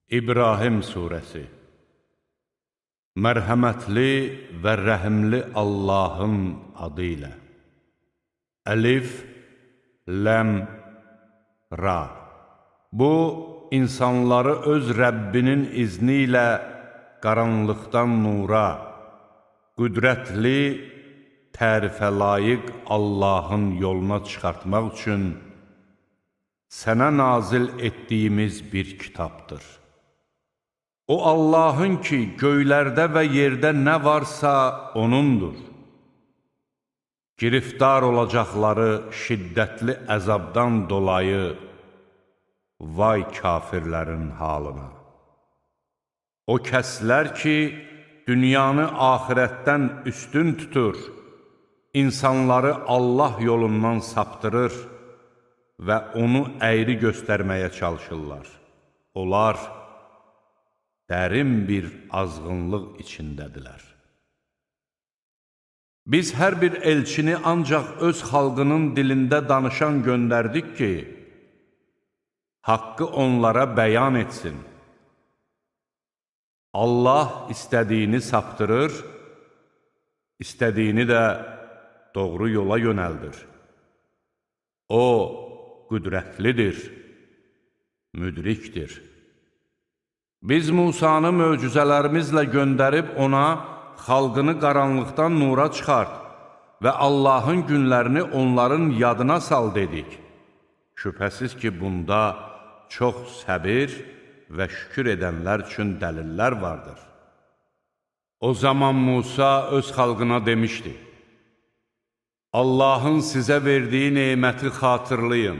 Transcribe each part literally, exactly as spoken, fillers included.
İbrahim Suresi. Mərhəmətli və rəhimli Allahın adı ilə. Əlif, Ləm, Ra. Bu, insanları öz Rəbbinin izni ilə qaranlıqdan nura, qüdrətli, tərifə layiq Allahın yoluna çıxartmaq üçün sənə nazil etdiyimiz bir kitabdır. O Allahın ki, göylərdə və yerdə nə varsa O'nundur. Giriftar olacaqları şiddətli əzabdan dolayı vay kafirlərin halına. O kəslər ki, dünyanı axirətdən üstün tutur, insanları Allah yolundan saptırır və onu əyri göstərməyə çalışırlar. Onlar dərin bir azğınlıq içindədirlər. Biz hər bir elçini ancaq öz xalqının dilində danışan göndərdik ki, haqqı onlara bəyan etsin. Allah istədiyini saptırır, istədiyini də doğru yola yönəldir. O, qüdrətlidir, müdrikdir. Biz Musanı möcüzələrimizlə göndərib ona xalqını qaranlıqdan nura çıxart və Allahın günlərini onların yadına sal dedik. Şübhəsiz ki, bunda çox səbir və şükür edənlər üçün dəlillər vardır. O zaman Musa öz xalqına demişdi: Allahın sizə verdiyi neməti xatırlayın.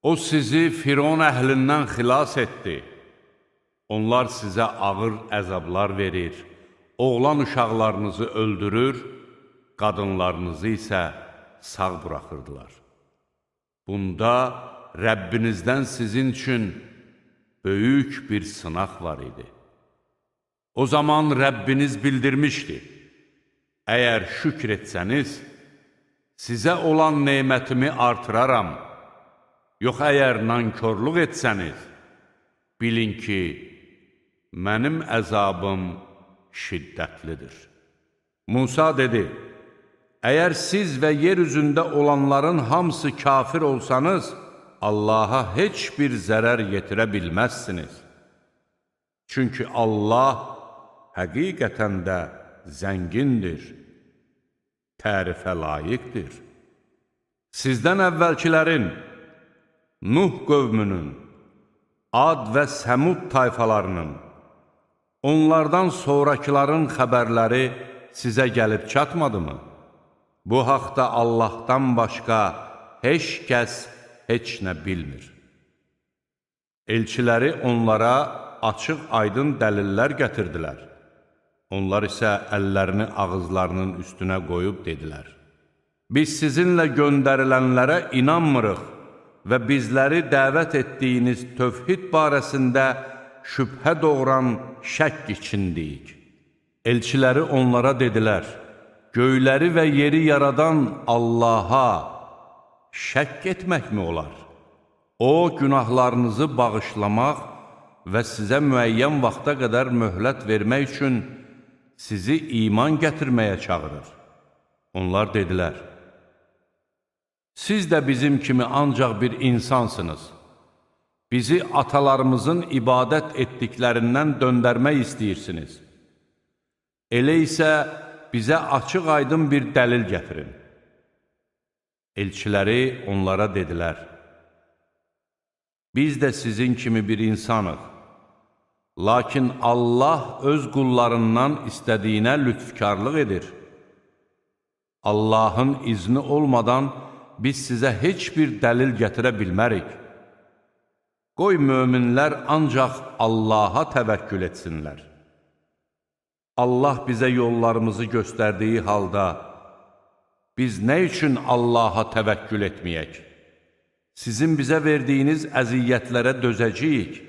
O sizi Firon əhlindən xilas etdi. Onlar sizə ağır əzablar verir, oğlan uşaqlarınızı öldürür, qadınlarınızı isə sağ buraxırdılar. Bunda Rəbbinizdən sizin üçün böyük bir sınaq var idi. O zaman Rəbbiniz bildirmişdi: Əgər şükr etsəniz, sizə olan nemətimi artıraram. Yox, əgər nankörlük etsəniz, bilin ki, mənim əzabım şiddətlidir. Musa dedi: Əgər siz və yer üzündə olanların hamısı kafir olsanız, Allaha heç bir zərər yetirə bilməzsiniz. Çünki Allah həqiqətən də zəngindir, tərifə layiqdir. Sizdən əvvəlkilərin, Nuh qövmünün, Ad və Səmud tayfalarının, onlardan sonrakıların xəbərləri sizə gəlib çatmadımı? Bu haqda Allahdan başqa heç kəs heç nə bilmir. Elçiləri onlara açıq aydın dəlillər gətirdilər. Onlar isə əllərini ağızlarının üstünə qoyub dedilər: Biz sizinlə göndərilənlərə inanmırıq və bizləri dəvət etdiyiniz tövhid barəsində şübhə doğuran şəkk içindəyik. Elçiləri onlara dedilər: Göyləri və yeri yaradan Allaha şəkk etməkmi olar? O, günahlarınızı bağışlamaq və sizə müəyyən vaxta qədər möhlət vermək üçün sizi iman gətirməyə çağırır. Onlar dedilər: Siz də bizim kimi ancaq bir insansınız. Bizi atalarımızın ibadət etdiklərindən döndərmək istəyirsiniz. Elə isə bizə açıq aydın bir dəlil gətirin. Elçiləri onlara dedilər: Biz də sizin kimi bir insanıq. Lakin Allah öz qullarından istədiyinə lütfkarlıq edir. Allahın izni olmadan biz sizə heç bir dəlil gətirə bilmərik. Qoy möminlər ancaq Allaha təvəkkül etsinlər. Allah bizə yollarımızı göstərdiyi halda, biz nə üçün Allaha təvəkkül etməyək? Sizin bizə verdiyiniz əziyyətlərə dözəcəyik.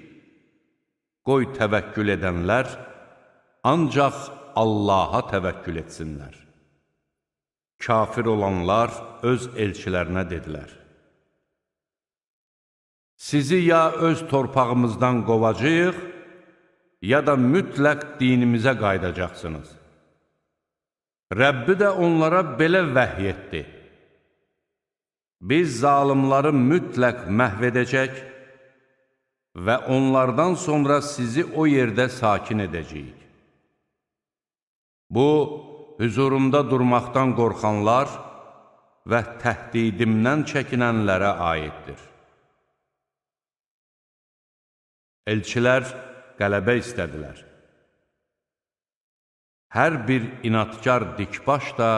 Qoy təvəkkül edənlər ancaq Allaha təvəkkül etsinlər. Kafir olanlar öz elçilərinə dedilər: sizi ya öz torpağımızdan qovacağıq, ya da mütləq dinimizə qaydacaqsınız. Rəbbi də onlara belə vəhy etdi. Biz zalimları mütləq məhv edəcək və onlardan sonra sizi o yerdə sakin edəcəyik. Bu, hüzurumda durmaqdan qorxanlar və təhdidimdən çəkinənlərə aiddir. Elçilər qələbə istədilər. Hər bir inadkar dikbaş da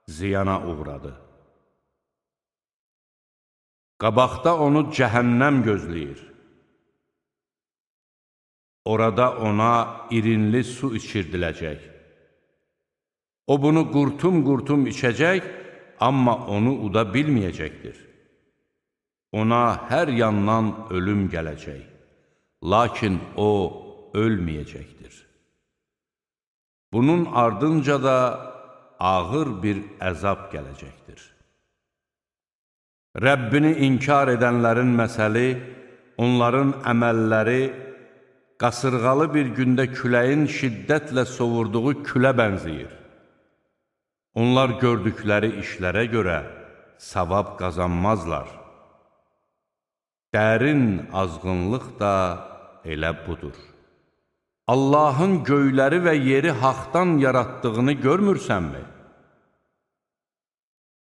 ziyana uğradı. Qabaqda onu cəhənnəm gözləyir. Orada ona irinli su içirdiləcək. O bunu qurtum-qurtum içəcək, amma onu uda bilməyəcəkdir. Ona hər yandan ölüm gələcək, lakin o ölməyəcəkdir. Bunun ardınca da ağır bir əzab gələcəkdir. Rəbbini inkar edənlərin məsəli, onların əməlləri qasırğalı bir gündə küləyin şiddətlə sovurduğu külə bənzəyir. Onlar gördükləri işlərə görə savab qazanmazlar. Dərin azğınlıq da elə budur. Allahın göyləri və yeri haqdan yaratdığını görmürsənmi?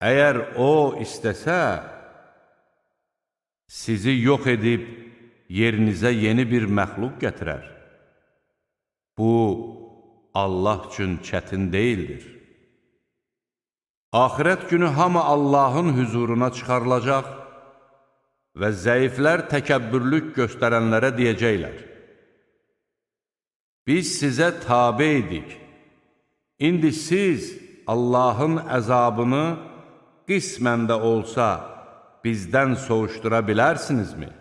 Əgər O istəsə, sizi yox edib yerinizə yeni bir məxluq gətirər. Bu, Allah üçün çətin deyildir. Axirət günü hamı Allahın hüzuruna çıxarılacaq və zəiflər təkəbbürlük göstərənlərə deyəcəklər: biz sizə tabe idik. İndi siz Allahın əzabını qismən də olsa bizdən soğuşdura bilərsinizmi?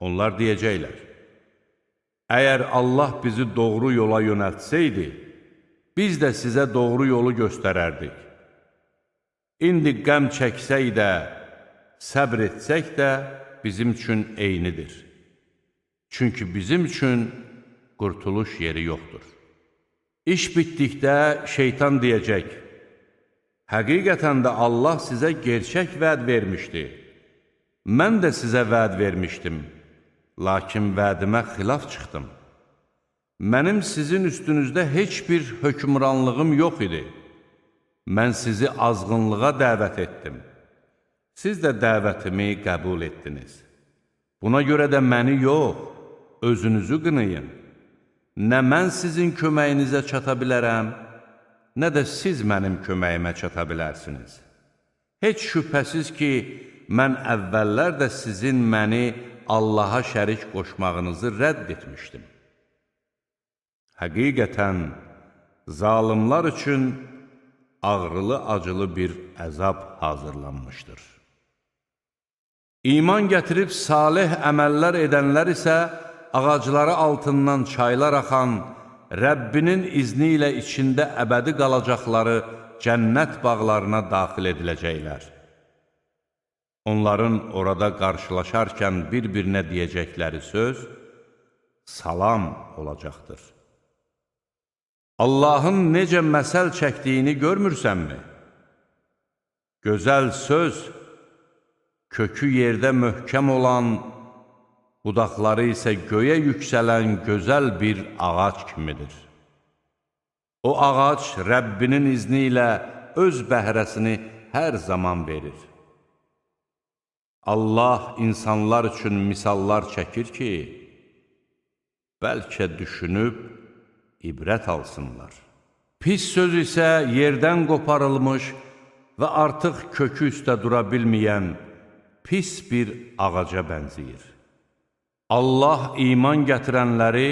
Onlar deyəcəklər: əgər Allah bizi doğru yola yönəltsəydi, biz də sizə doğru yolu göstərərdik. İndi qəm çəksək də, səbr etsək də bizim üçün eynidir. Çünki bizim üçün qurtuluş yeri yoxdur. İş bitdikdə şeytan deyəcək: həqiqətən də Allah sizə gerçək vəd vermişdi. Mən də sizə vəd vermişdim, lakin vədimə xilaf çıxdım. Mənim sizin üstünüzdə heç bir hökmranlığım yox idi. Mən sizi azğınlığa dəvət etdim. Siz də dəvətimi qəbul etdiniz. Buna görə də məni yox, özünüzü qınayın. Nə mən sizin köməyinizə çata bilərəm, nə də siz mənim köməyimə çata bilərsiniz. Heç şübhəsiz ki, mən əvvəllər də sizin məni Allaha şərik qoşmağınızı rədd etmişdim. Həqiqətən, zalimlar üçün ağrılı-acılı bir əzab hazırlanmışdır. İman gətirib salih əməllər edənlər isə ağacları altından çaylar axan, Rəbbinin izni ilə içində əbədi qalacaqları cənnət bağlarına daxil ediləcəklər. Onların orada qarşılaşarkən bir-birinə deyəcəkləri söz salam olacaqdır. Allahın necə məsəl çəkdiyini görmürsənmi? Gözəl söz, kökü yerdə möhkəm olan, budaqları isə göyə yüksələn gözəl bir ağac kimidir. O ağac Rəbbinin izni ilə öz bəhrəsini hər zaman verir. Allah insanlar üçün misallar çəkir ki, bəlkə düşünüb ibrət alsınlar. Pis söz isə yerdən qoparılmış və artıq kökü üstə dura bilməyən pis bir ağaca bənzəyir. Allah iman gətirənləri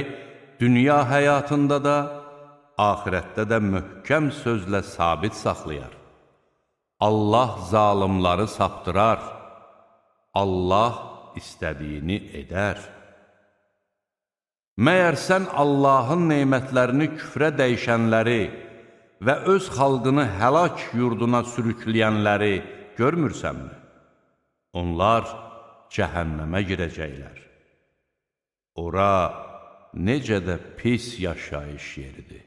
dünya həyatında da, axirətdə də möhkəm sözlə sabit saxlayar. Allah zalimları saptırar, Allah istədiyini edər. Məyər sən Allahın neymətlərini küfrə dəyişənləri və öz xalqını həlak yurduna sürükləyənləri görmürsənmi? Onlar cəhənnəmə girəcəklər. Ora necə də pis yaşayış yeridir.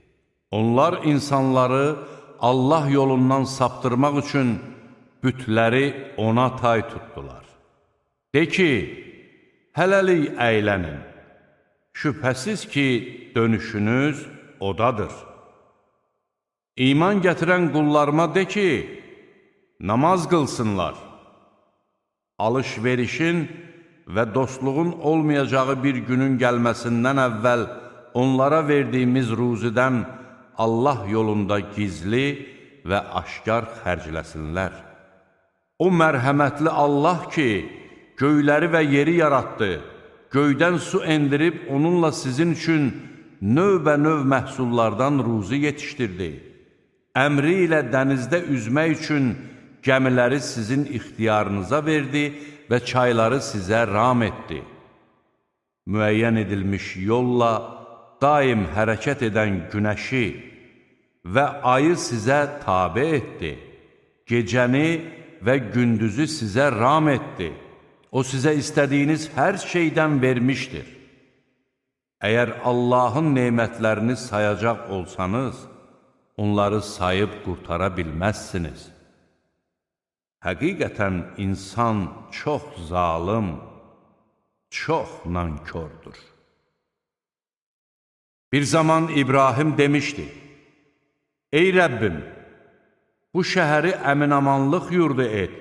Onlar insanları Allah yolundan saptırmaq üçün bütləri ona tay tutdular. De ki, hələlik əylənin, şübhəsiz ki, dönüşünüz odadır. İman gətirən qullarıma de ki, namaz qılsınlar. Alış-verişin və dostluğun olmayacağı bir günün gəlməsindən əvvəl onlara verdiyimiz ruzidən Allah yolunda gizli və aşkar xərcləsinlər. O mərhəmətli Allah ki, göyləri və yeri yaratdı, göydən su endirib onunla sizin üçün növbə-növ məhsullardan ruzi yetişdirdi. Əmri ilə dənizdə üzmək üçün gəmiləri sizin ixtiyarınıza verdi və çayları sizə ram etdi. Müəyyən edilmiş yolla daim hərəkət edən günəşi və ayı sizə tabe etdi. Gecəni və gündüzü sizə ram etdi. O sizə istədiyiniz hər şeydən vermişdir. Əgər Allahın nemətlərini sayacaq olsanız, onları sayıb qurtara bilməzsiniz. Həqiqətən insan çox zalım, çox nankördür. Bir zaman İbrahim demişdi, ey Rəbbim, bu şəhəri əminamanlıq yurdu et,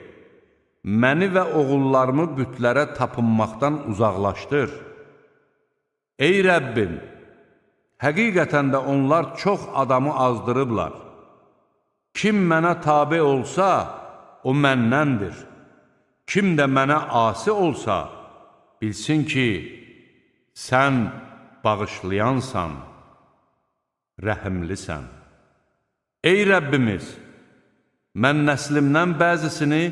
məni və oğullarımı bütlərə tapınmaqdan uzaqlaşdır. Ey Rəbbim, həqiqətən də onlar çox adamı azdırıblar. Kim mənə tabe olsa, o məndəndir. Kim də mənə asi olsa, bilsin ki, sən bağışlayansan, rəhimlisən. Ey Rəbbimiz, mən nəslimdən bəzisini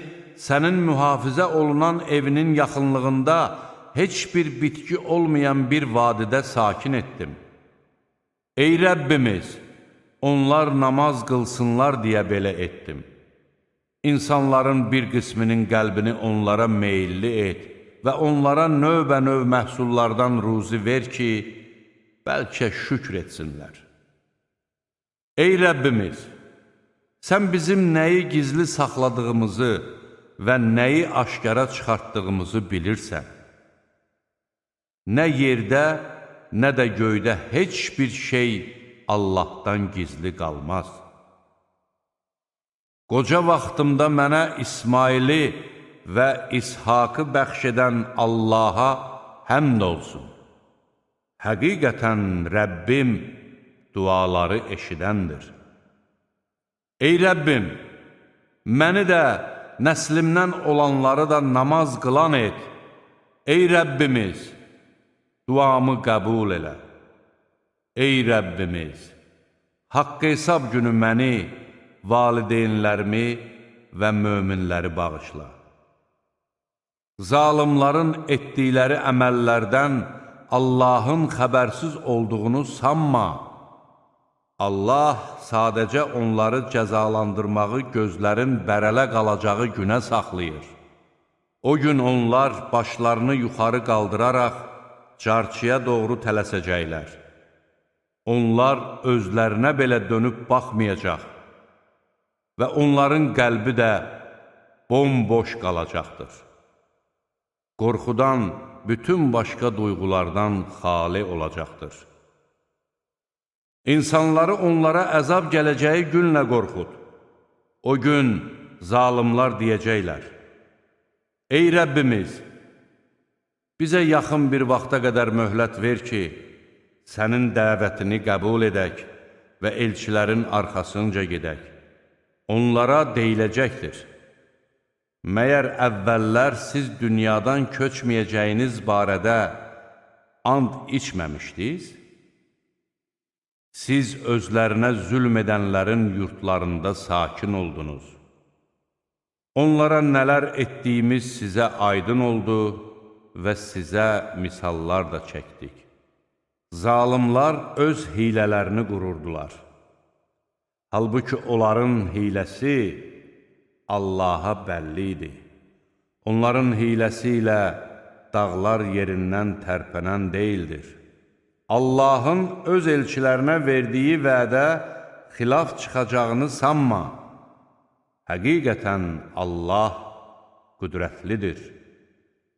sənin mühafizə olunan evinin yaxınlığında heç bir bitki olmayan bir vadidə sakin etdim. Ey Rəbbimiz, onlar namaz qılsınlar deyə belə etdim. İnsanların bir qisminin qəlbini onlara meyilli et və onlara növbə-növ məhsullardan ruzi ver ki, bəlkə şükr etsinlər. Ey Rəbbimiz, sən bizim nəyi gizli saxladığımızı və nəyi aşkara çıxartdığımızı bilirsən. Nə yerdə, nə də göydə heç bir şey Allahdan gizli qalmaz. Qoca vaxtımda mənə İsmaili və İshakı bəxş edən Allaha həmd olsun. Həqiqətən Rəbbim duaları eşidəndir. Ey Rəbbim, məni də, nəslimdən olanları da namaz qılan et. Ey Rəbbimiz, duamı qəbul elə. Ey Rəbbimiz, haqq hesab günü məni, valideynlərimi və möminləri bağışla. Zalimların etdikləri əməllərdən Allahın xəbərsiz olduğunu sanma. Allah sadəcə onları cəzalandırmağı gözlərin bərələ qalacağı günə saxlayır. O gün onlar başlarını yuxarı qaldıraraq carçıya doğru tələsəcəklər. Onlar özlərinə belə dönüb baxmayacaq və onların qəlbi də bomboş qalacaqdır. Qorxudan bütün başqa duyğulardan xali olacaqdır. İnsanları onlara əzab gələcəyi günlə qorxud. O gün zalimlar deyəcəklər, ey Rəbbimiz, bizə yaxın bir vaxta qədər möhlət ver ki, sənin dəvətini qəbul edək və elçilərin arxasınca gedək. Onlara deyiləcəkdir, məyər əvvəllər siz dünyadan köçməyəcəyiniz barədə and içməmişdiniz? Siz özlərinə zülm edənlərin yurtlarında sakin oldunuz. Onlara nələr etdiyimiz sizə aydın oldu və sizə misallar da çəkdik. Zalimlar öz hilələrini qururdular. Halbuki onların hiləsi Allaha bəlli idi. Onların hiləsi ilə dağlar yerindən tərpənən deyildir. Allahın öz elçilərinə verdiyi vədə xilaf çıxacağını sanma. Həqiqətən Allah qüdrətlidir,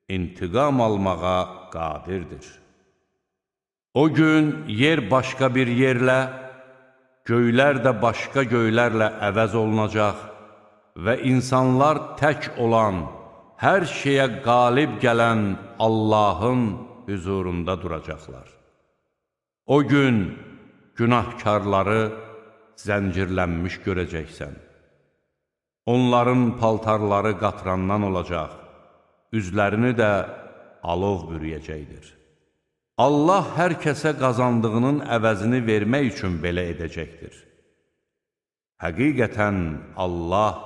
intiqam almağa qadirdir. O gün yer başqa bir yerlə, göylər də başqa göylərlə əvəz olunacaq və insanlar tək olan, hər şeyə qalib gələn Allahın hüzurunda duracaqlar. O gün günahkarları zəncirlənmiş görəcəksən. Onların paltarları qatrandan olacaq, üzlərini də alov bürüyəcəkdir. Allah hər kəsə qazandığının əvəzini vermək üçün belə edəcəkdir. Həqiqətən Allah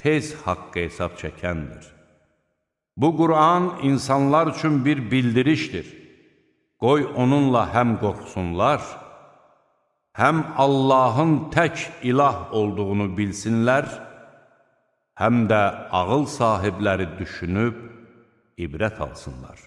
tez haqq hesab çəkəndir. Bu Qur'an insanlar üçün bir bildirişdir. Qoy onunla həm qorxsunlar, həm Allahın tək ilah olduğunu bilsinlər, həm də ağıl sahibləri düşünüb ibrət alsınlar.